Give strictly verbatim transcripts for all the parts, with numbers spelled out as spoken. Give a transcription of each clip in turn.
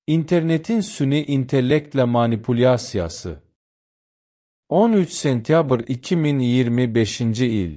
İnternetin süni intellektlə manipulyasiyası. on üç sentyabr iki min iyirmi beşinci il.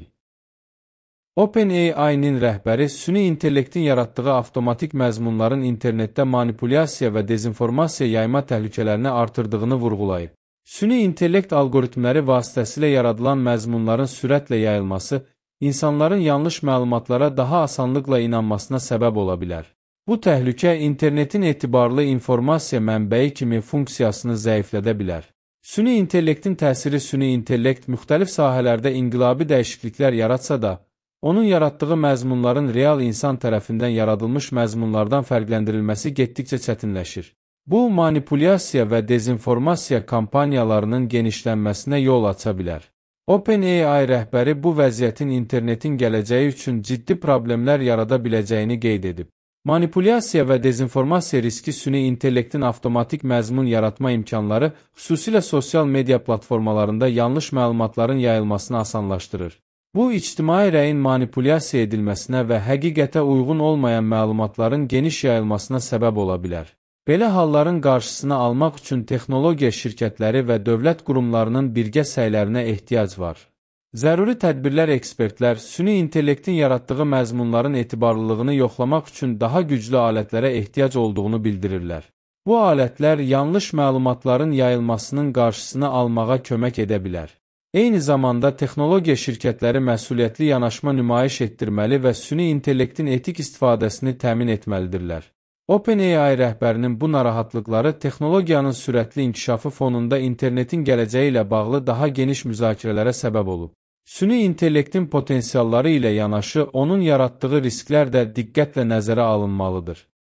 OpenAI-nin rəhbəri süni intellektin yaratdığı avtomatik məzmunların internetdə manipulyasiya və dezinformasiya yayma təhlükələrini artırdığını vurğulayıb. Süni intellekt algoritmləri vasitəsilə yaradılan məzmunların sürətlə yayılması, insanların yanlış məlumatlara daha asanlıqla inanmasına səbəb ola bilər. Bu təhlükə internetin etibarlı informasiya mənbəyi kimi funksiyasını zəiflədə bilər. Süni intellektin təsiri süni intellekt müxtəlif sahələrdə inqilabi dəyişikliklər yaratsa da, onun yaratdığı məzmunların real insan tərəfindən yaradılmış məzmunlardan fərqləndirilməsi getdikcə çətinləşir. Bu, manipulyasiya və dezinformasiya kampaniyalarının genişlənməsinə yol aça bilər. OpenAI rəhbəri bu vəziyyətin internetin gələcəyi üçün ciddi problemlər yarada biləcəyini qeyd edib. Manipulyasiya və dezinformasiya riski süni intellektin avtomatik məzmun yaratma imkanları, xüsusilə sosial media platformalarında yanlış məlumatların yayılmasını asanlaşdırır. Bu, ictimai rəyin manipulyasiya edilməsinə və həqiqətə uyğun olmayan məlumatların geniş yayılmasına səbəb ola bilər. Belə halların qarşısını almaq üçün texnologiya şirkətləri və dövlət qurumlarının birgə səylərinə ehtiyac var. Zəruri tədbirlər ekspertlər, süni intellektin yaratdığı məzmunların etibarlılığını yoxlamaq üçün daha güclü alətlərə ehtiyac olduğunu bildirirlər. Bu alətlər yanlış məlumatların yayılmasının qarşısını almağa kömək edə bilər. Eyni zamanda texnologiya şirkətləri məsuliyyətli yanaşma nümayiş etdirməli və süni intellektin etik istifadəsini təmin etməlidirlər. OpenAI rəhbərinin bu narahatlıqları texnologiyanın sürətli inkişafı fonunda internetin gələcəyi ilə bağlı daha geniş müzakirələrə səbəb olub. Süni intellektin potensialları ilə yanaşı onun yaratdığı risklər də diqqətlə nəzərə alınmalıdır.